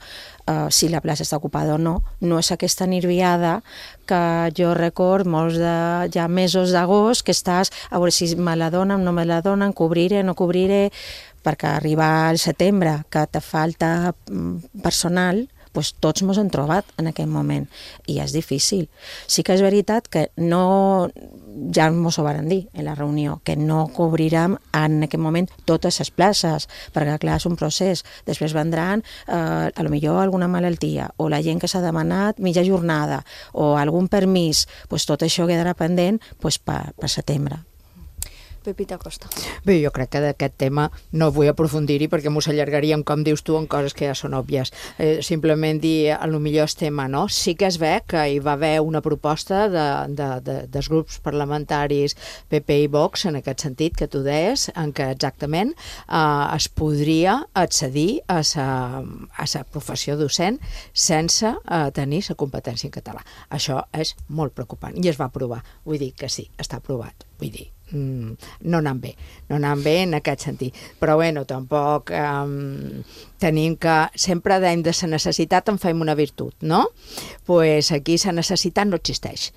si la plaça està ocupada o no, no és aquesta nerviada que jo record molts ja mesos d'agost que estàs a veure si me la donen, no me la donen, cobriré, no cobriré, perquè arribar al setembre que te falta personal, tots ens hem trobat en aquell moment i és difícil. Sí que és veritat que ja ens ho van dir en la reunió, que no cobrirem en aquest moment totes les places, perquè clar, és un procés. Després vendran potser alguna malaltia o la gent que s'ha demanat mitja jornada o algun permís, tot això quedarà pendent per setembre. Pepita Costa. Bé, jo crec que d'aquest tema no vull aprofundir-hi perquè m'ho s'allargaríem, com dius tu, en coses que ja són òbvies. Simplement dir, potser és tema, no? Sí que es ve que hi va haver una proposta dels grups parlamentaris PP i Vox, en aquest sentit que tu deies, en què exactament es podria accedir a la professió docent sense tenir la competència en català. Això és molt preocupant i es va aprovar. Vull dir que sí, està aprovat. Vull dir, no anant bé en aquest sentit. Però bueno, tampoc tenim que sempre de la necessitat en fem una virtut, no? Pues aquí la necessitat no existeix.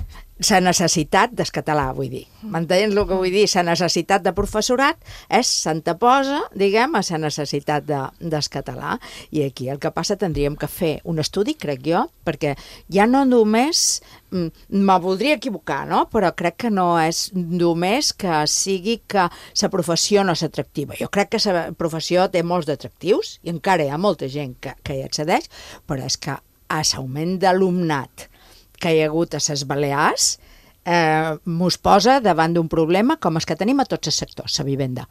La necessitat del català, vull dir. M'entens el que vull dir? La necessitat de professorat s'anteposa, diguem, a la necessitat del català. I aquí el que passa tindríem que fer un estudi, crec jo, perquè ja no només, me voldria equivocar, no? Però crec que no és només que sigui que la professió no és atractiva. Jo crec que la professió té molts d'atractius i encara hi ha molta gent que hi accedeix, però és que a l'augment d'alumnat que hi ha hagut a les Balears mos posa davant d'un problema com els que tenim a tots els sectors, la vivenda.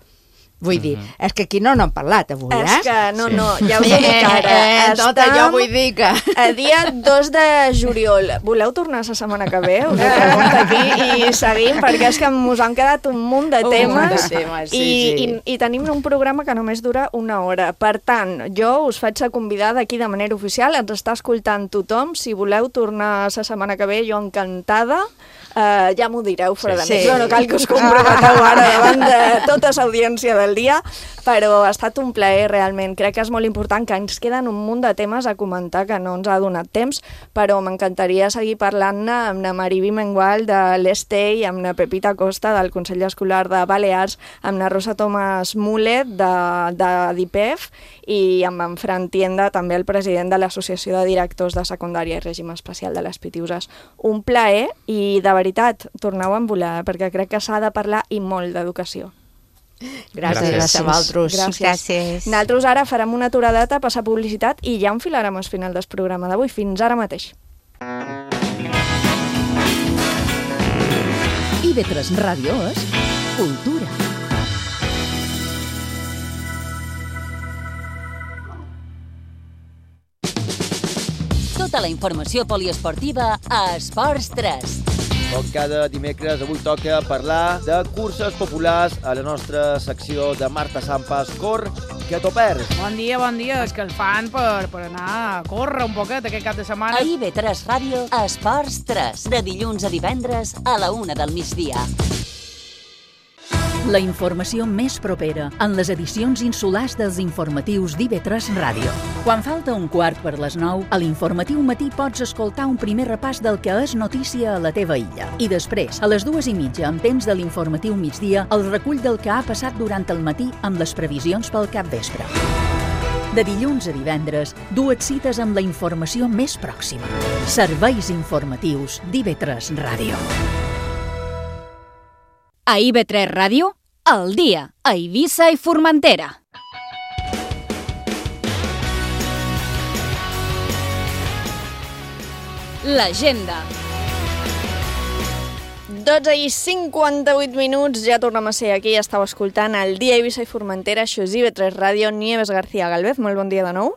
Vull dir, és que aquí no n'hem parlat avui, És que no, ja us ho dic ara. Jo vull dir que... A dia 2 de juliol. Voleu tornar la setmana que ve? Us ho pregunto aquí i seguim, perquè és que ens han quedat un munt de temes i tenim un programa que només dura 1 hora. Per tant, jo us faig la convidada aquí de manera oficial, ens està escoltant tothom. Si voleu tornar la setmana que ve, jo encantada. Ja m'ho direu fora de micro, no cal que us comprometeu ara davant de tota l'audiència del dia, però ha estat un plaer realment. Crec que és molt important, que ens queden un munt de temes a comentar que no ens ha donat temps, però m'encantaria seguir parlant-ne amb la Mariví Mengual de l'Estei, amb la Pepita Costa del Consell Escolar de Balears, amb la Rosa Tomàs Mulet de d'IPEF i amb en Fran Tienda, també el president de l'Associació de Directors de Secundària i Règim Especial de les Pitiuses. Un plaer i de veritat, torneu a envolar, perquè crec que s'ha de parlar i molt d'educació. Gràcies a vosaltres. Gràcies. Nosaltres ara farem una aturada, passar publicitat i ja enfilarem al final del programa d'avui. Fins ara mateix. IB3 Ràdio és cultura. Tota la informació poliesportiva a Esports 3. Com cada dimecres, avui toca parlar de curses populars a la nostra secció de Marta Sampas Cor, que què t'ho perds? Bon dia, escalfant per anar a córrer un poquet aquest cap de setmana. A IB3 Ràdio, Esports 3, de dilluns a divendres a la 1 del migdia. La informació més propera en les edicions insulars dels informatius d'IB3 Ràdio. Quan falta un quart per les 9, a l'informatiu matí pots escoltar un primer repàs del que és notícia a la teva illa. I després, a les 2:30, en temps de l'informatiu migdia, el recull del que ha passat durant el matí amb les previsions pel capvespre. De dilluns a divendres, du et cites amb la informació més pròxima. Serveis informatius d'IB3 Ràdio. A IB3 Ràdio, al dia, a Eivissa i Formentera. L'agenda. 12:58, ja tornem a ser aquí, estàu escoltant el dia a Eivissa i Formentera, això és IB3 Ràdio, Nieves García Galvez, molt bon dia de nou.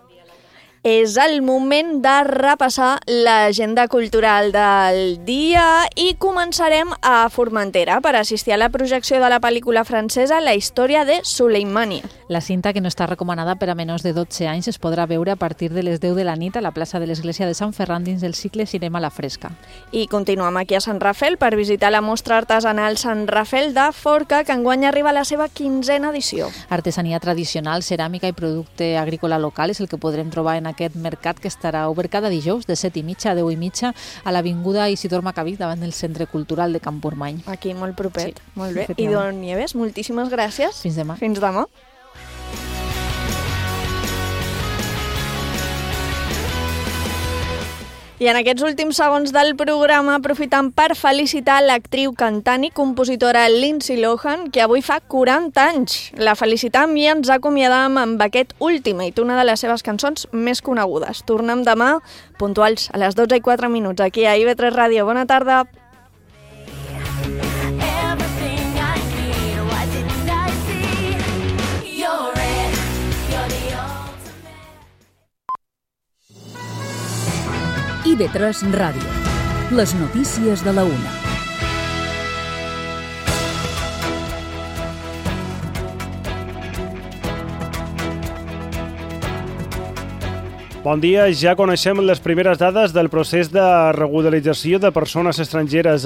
És el moment de repassar l'agenda cultural del dia i començarem a Formentera per assistir a la projecció de la pel·lícula francesa La història de Suleimania. La cinta, que no està recomanada per a menors de 12 anys, es podrà veure a partir de les 10 de la nit a la plaça de l'Església de Sant Ferran dins del cicle Cinema a la Fresca. I continuem aquí a Sant Rafel per visitar la mostra artesanal Sant Rafel de Forca, que enguany arriba a la seva 15ª edició. Artesania tradicional, ceràmica i producte agrícola local és el que podrem trobar en aquest mercat, que estarà obert cada dijous de 7:30 a 10:30 a l'avinguda Isidor Macabí davant del Centre Cultural de Campurmany. Aquí, molt propet. Sí, molt bé. I Don Nieves, moltíssimes gràcies. Fins demà. Fins demà. I en aquests últims segons del programa aprofitem per felicitar l'actriu, cantant i compositora Lindsay Lohan, que avui fa 40 anys. La felicitam i ens acomiadam amb aquest Ultimate, una de les seves cançons més conegudes. Tornem demà, puntuals, a les 12:04, aquí a IB3 Ràdio. Bona tarda. IB3 Ràdio. Les notícies de la 1. Bon dia, ja coneixem les primeres dades del procés de regularització de persones estrangeres